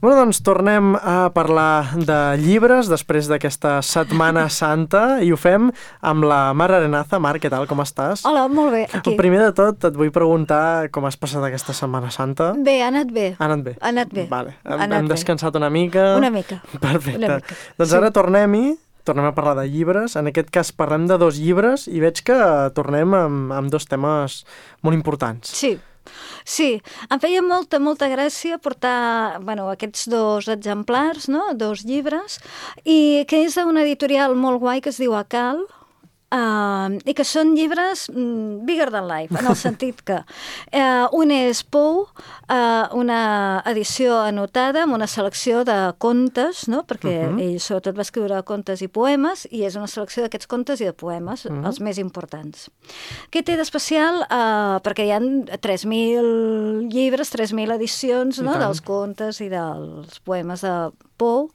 Bueno, doncs tornem a parlar de llibres després d'aquesta Setmana Santa i ho fem amb la Mar Arenaza. Mar, què tal? Com estàs? Hola, molt bé, aquí. Primer de tot, et vull preguntar com has passat aquesta Setmana Santa. Bé, ha anat bé. Ha anat bé? Ha anat bé. Vale. Hem descansat una mica? Una mica. Perfecte. Una mica. Doncs ara tornem a parlar de llibres. En aquest cas parlem de 2 llibres i veig que tornem amb 2 temes molt importants. Sí, em feia molta gràcia portar aquests 2 exemplars, no? 2 llibres, i que és d'una editorial molt guai que es diu Acal, i que són llibres bigger than life, en el sentit que un és Pou, una edició anotada amb una selecció de contes, no? Perquè ell sobretot va escriure contes i poemes, i és una selecció d'aquests contes i de poemes, els més importants. Què té d'especial? Perquè hi ha 3.000 llibres, 3.000 edicions, no? Dels contes i dels poemes de Pou,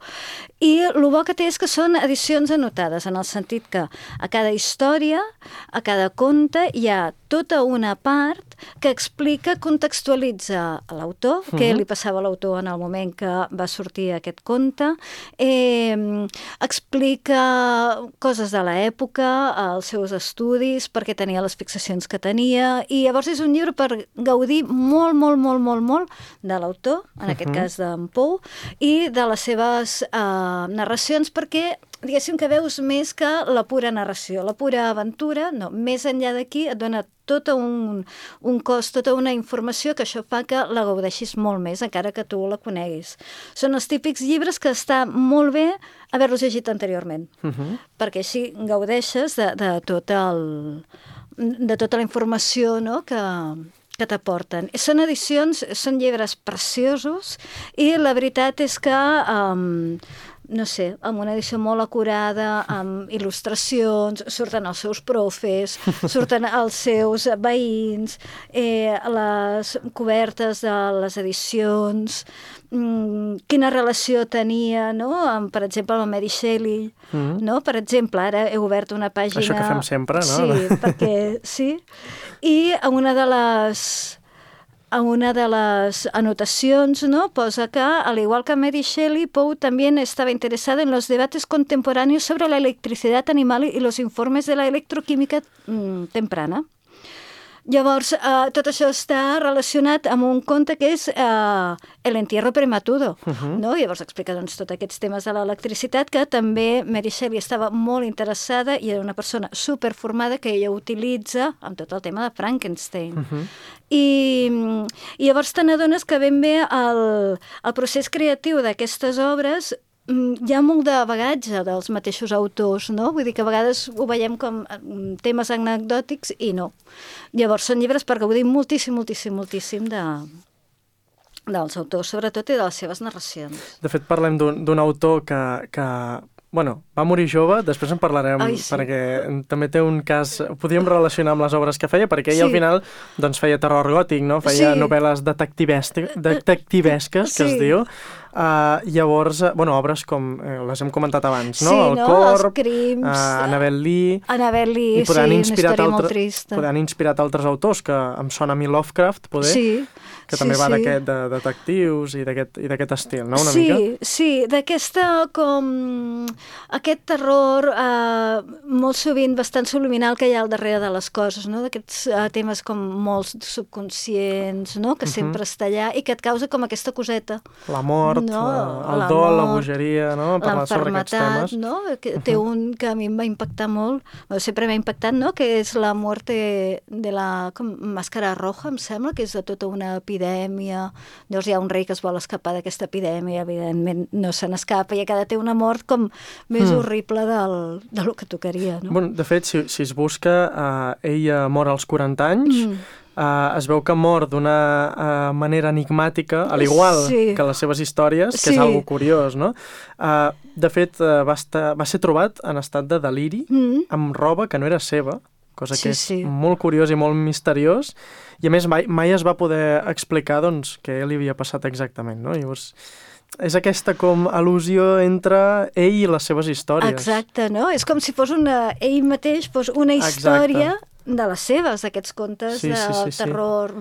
i el bo que té és que són edicions anotades, en el sentit que a cada història, a cada conte, hi ha tota una part que explica, contextualitza l'autor, què li passava a l'autor en el moment que va sortir aquest conte, explica coses de l'època, els seus estudis, perquè tenia les fixacions que tenia, i llavors és un llibre per gaudir molt de l'autor, en aquest cas d'en Pou, i de les seves narracions, perquè diguéssim que veus més que la pura narració, la pura aventura, no, més enllà d'aquí et dona tot un cos, tota una informació que això fa que la gaudeixis molt més, encara que tu la coneguis. Són els típics llibres que està molt bé haver-los llegit anteriorment, perquè així gaudeixes de tota la informació, no?, que t'aporten. Són edicions, són llibres preciosos, i la veritat és que no sé, amb una edició molt acurada, amb il·lustracions, surten els seus profes, surten els seus veïns, les cobertes de les edicions, quina relació tenia, no?, per exemple, amb Mary Shelley, no? Per exemple, ara he obert una pàgina... Això que fem sempre, no? Sí, perquè sí. I a una de les anotacions, ¿no?, posa que, al igual que Mary Shelley, Poe también estaba interesado en los debates contemporáneos sobre la electricidad animal y los informes de la electroquímica temprana. Llavors, tot això està relacionat amb un conte que és El entierro prematuro, no? Llavors explica tots aquests temes de l'electricitat, que també Mary Shelley estava molt interessada i era una persona superformada que ella utilitza amb tot el tema de Frankenstein. I llavors te n'adones que ben bé el procés creatiu d'aquestes obres hi ha molt de bagatge dels mateixos autors, no? Vull dir que a vegades ho veiem com temes anecdòtics i no. Llavors són llibres per gaudir moltíssim dels autors, sobretot, i de les seves narracions. De fet, parlem d'un autor que va morir jove, després en parlarem, perquè també té un cas... Ho podríem relacionar amb les obres que feia, perquè ell al final doncs, feia terror gòtic, no? Feia novel·les detectivesques, que es diu. Llavors, obres com les hem comentat abans, no? El Corb, Els Crims, Annabel Lee, i una història molt trista. Han inspirat altres autors, que em sona a mi Lovecraft, poder, que també va d'aquest de detectius i d'aquest estil, no? Una mica? Sí, d'aquesta com... aquest terror molt sovint bastant subliminal que hi ha al darrere de les coses, no? D'aquests temes com molt subconscients, no? Que sempre està allà i que et causa com aquesta coseta. La mort, el dol, la bogeria, no? Parlar sobre aquests temes. No? Té un que a mi em va impactar molt, sempre m'ha impactat, no? Que és la muerte de la màscara roja, em sembla, que és de tota una epidèmia. Llavors hi ha un rei que es vol escapar d'aquesta epidèmia, evidentment no se n'escapa, i cada té una mort com més horrible del que tocaria, no? Bueno, de fet, si es busca, ella mor als 40 anys, es veu que mor d'una manera enigmàtica, al igual que les seves històries, que és algo curiós, no? De fet, va ser trobat en estat de deliri, amb roba que no era seva, cosa que és molt curiós i molt misteriós, i a més mai es va poder explicar doncs, què li havia passat exactament, no? Llavors, és aquesta com al·lusió entre ell i les seves històries. Exacte, no? És com si fos ell mateix fos una història de les seves, d'aquests contes de terror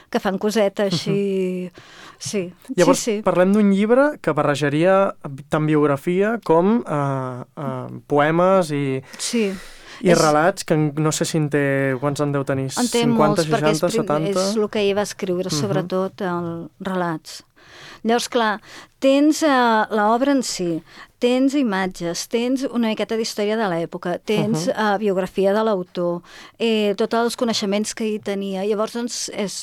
que fan coseta així Sí. Llavors, sí. Parlem d'un llibre que barrejaria tant biografia com poemes i relats, que no sé si en té... Quants en deu tenir? En té 50, molts, 60, perquè 70? és el que ell va escriure, sobretot, els relats. Llavors, clar, tens l'obra en si, tens imatges, tens una miqueta d'història de l'època, tens biografia de l'autor, tots els coneixements que hi tenia. Llavors, doncs,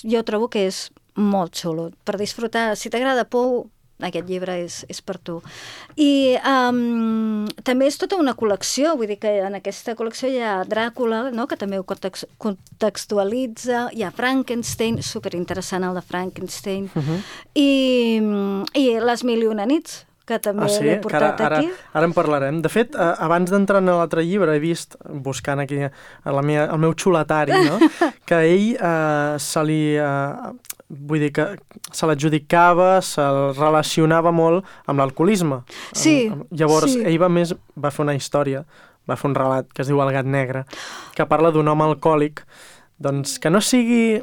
jo trobo que és molt xulo per disfrutar. Si t'agrada Pou, aquest llibre és per tu. I també és tota una col·lecció, vull dir que en aquesta col·lecció hi ha Dràcula, no?, que també ho contextualitza, hi ha Frankenstein, superinteressant el de Frankenstein, i Les mil i una nits, que també l'he portat aquí. Ara en parlarem. De fet, abans d'entrar en l'altre llibre, he vist, buscant aquí el meu xuletari, no?, que ell vull dir que se l'adjudicava, se'l relacionava molt amb l'alcoholisme. Sí. Llavors, ell va fer una història, va fer un relat que es diu El gat negre, que parla d'un home alcohòlic, doncs que no sigui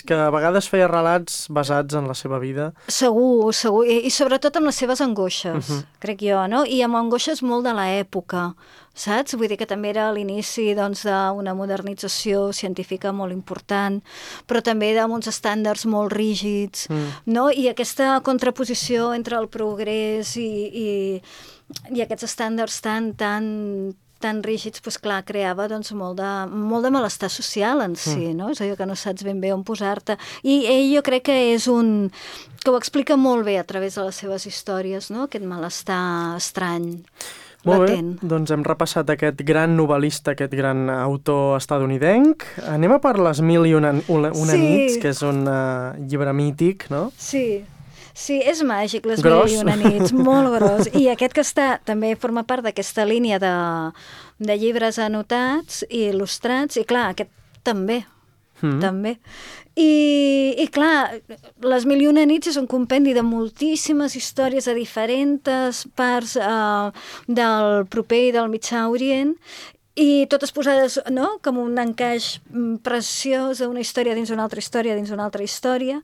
que a vegades feia relats basats en la seva vida. Segur. I sobretot amb les seves angoixes, crec jo, no? I amb angoixes molt de l'època, saps? Vull dir que també era a l'inici d'una modernització científica molt important, però també amb uns estàndards molt rígids, no? I aquesta contraposició entre el progrés i aquests estàndards tan rígids, doncs clar, creava molt de malestar social en si, no? És allò que no saps ben bé on posar-te. I ell jo crec que que ho explica molt bé a través de les seves històries, no? Aquest malestar estrany. Molt bé, doncs hem repassat aquest gran novel·lista, aquest gran autor estadounidenc. Anem a per Les mil i una nits, que és un llibre mític, no? Sí, és màgic, Les mil i una nits, molt gros. I aquest que també forma part d'aquesta línia de llibres anotats i il·lustrats, i clar, aquest també. I clar, Les mil i una nits és un compendi de moltíssimes històries de diferents parts del proper i del Mitjà Orient, i totes posades, no?, com un encaix preciós d'una història dins d'una altra història, dins d'una altra història,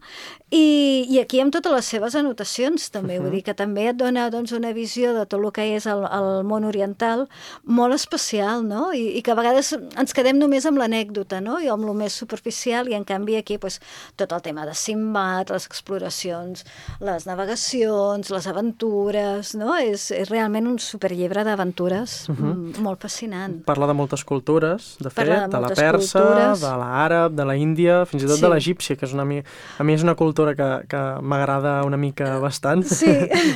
i aquí amb totes les seves anotacions també, vull dir que també et dona una visió de tot el que és el món oriental molt especial, no?, i que a vegades ens quedem només amb l'anècdota, no?, i amb el més superficial, i en canvi aquí tot el tema de Simbad, les exploracions, les navegacions, les aventures, no?, és realment un superllibre d'aventures molt fascinant. Parla de moltes cultures, de fet, de la persa, de l'àrab, de la índia, fins i tot de l'egípcia, que a mi és una cultura que m'agrada una mica bastant. Sí.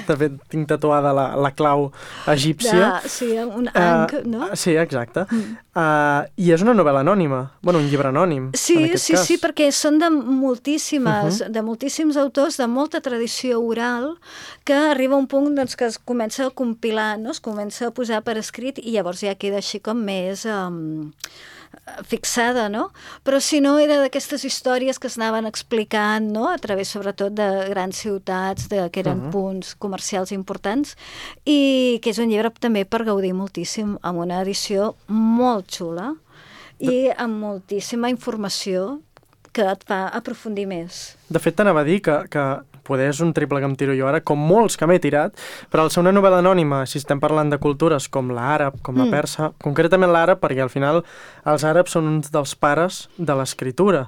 De fet, tinc tatuada la clau egípcia. Sí, un ankh, no? Sí, exacte. I és una novel·la anònima, un llibre anònim, en aquest cas. Sí, perquè són de moltíssims autors, de molta tradició oral, que arriba un punt que es comença a compilar, no? Es comença a posar per escrit, i llavors ja queda així com més fixada, no? Però si no, era d'aquestes històries que es anaven explicant, no?, a través sobretot de grans ciutats, que eren punts comercials importants, i que és un llibre també per gaudir moltíssim, amb una edició molt xula i amb moltíssima informació que et fa aprofundir més. De fet, t'anava a dir que poder és un triple que em tiro jo ara, com molts que m'he tirat, però al ser una novel·la anònima, si estem parlant de cultures com l'àrab, com la persa, concretament l'àrab, perquè al final els àrabs són uns dels pares de l'escriptura.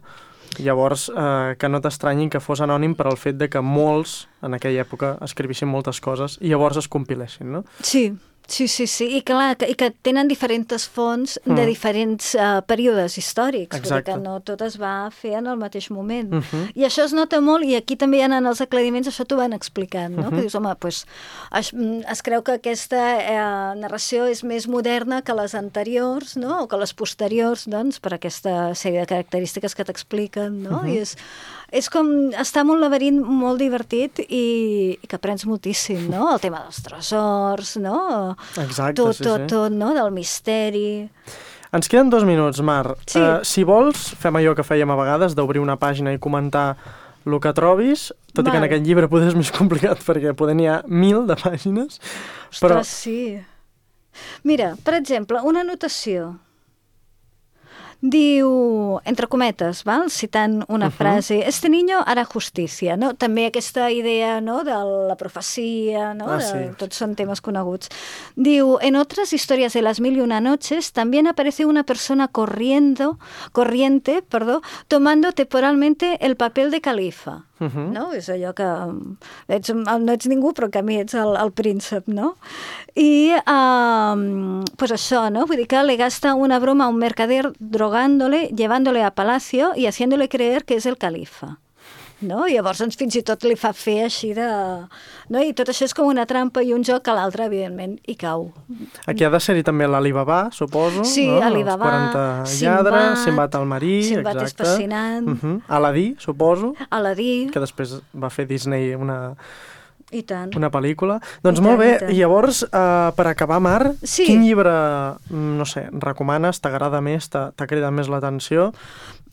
Llavors, que no t'estranyin que fos anònim per al fet de que molts, en aquella època, escrivissin moltes coses i llavors es compilessin, no? Sí, i clar, i que tenen diferents fonts de diferents períodes històrics, vull dir que no tot es va fer en el mateix moment. I això es nota molt, i aquí també hi ha en els aclariments, això t'ho van explicant, no? Que dius, home, es creu que aquesta narració és més moderna que les anteriors, no?, o que les posteriors, doncs, per aquesta sèrie de característiques que t'expliquen, no? I és com estar en un laberint molt divertit i que aprens moltíssim, no? El tema dels tresors, no? Exacte, tot, no? Del misteri. Ens queden 2 minuts, Mar. Sí. Si vols, fem allò que fèiem a vegades, d'obrir una pàgina i comentar el que trobis, tot i que en aquest llibre potser és més complicat perquè poder n'hi ha 1000 de pàgines. Ostres, sí. Mira, per exemple, una anotació. Diu, entre cometes, val? Citant una frase, este niño hará justicia, no? També aquesta idea, no?, de la profecia, no? Tots són temes coneguts. Diu, en otras historias de las 1001 noches también aparece una persona corriente, tomando temporalmente el papel de califa. No? És allò que no ets ningú, però que a mi ets el príncep, no? I pues això, no? Vull dir que le gasta una broma a un mercader drogándole, llevándole a palacio y haciéndole creer que és el califa. No? I llavors fins i tot li fa fer així de... No? I tot això és com una trampa i un joc que l'altre, evidentment, hi cau. Aquí ha de ser-hi també l'Alibaba, suposo. Sí, no? Alibaba, els 40 lladres, Sinbad el marí, Sinbad és fascinant. Aladí, suposo. Aladí. Que després va fer Disney una pel·lícula. Doncs molt bé, i llavors, per acabar, Mar, quin llibre, no sé, recomanes, t'agrada més, t'ha cridat més l'atenció?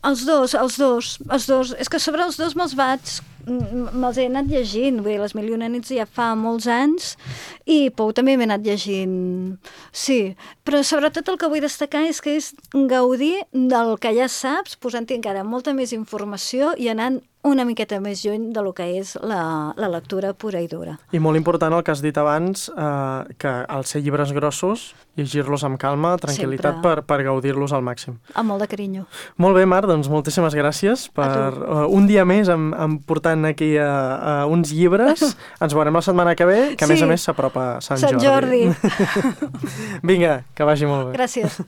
Els dos. És que sobre els dos me'ls he anat llegint. Vull dir, Les 1001 nits ja fa molts anys i Pou també m'he anat llegint. Sí, però sobretot el que vull destacar és que és gaudir del que ja saps, posant-hi encara molta més informació i anant una miqueta més lluny del que és la lectura pura i dura. I molt important el que has dit abans, que al ser llibres grossos, llegir-los amb calma, tranquil·litat, per gaudir-los al màxim. Amb molt de carinyo. Molt bé, Mar, doncs moltíssimes gràcies per un dia més portant aquí uns llibres. Ens veurem la setmana que ve, que a més s'apropa Sant Jordi. Sant Jordi. Vinga, que vagi molt bé. Gràcies.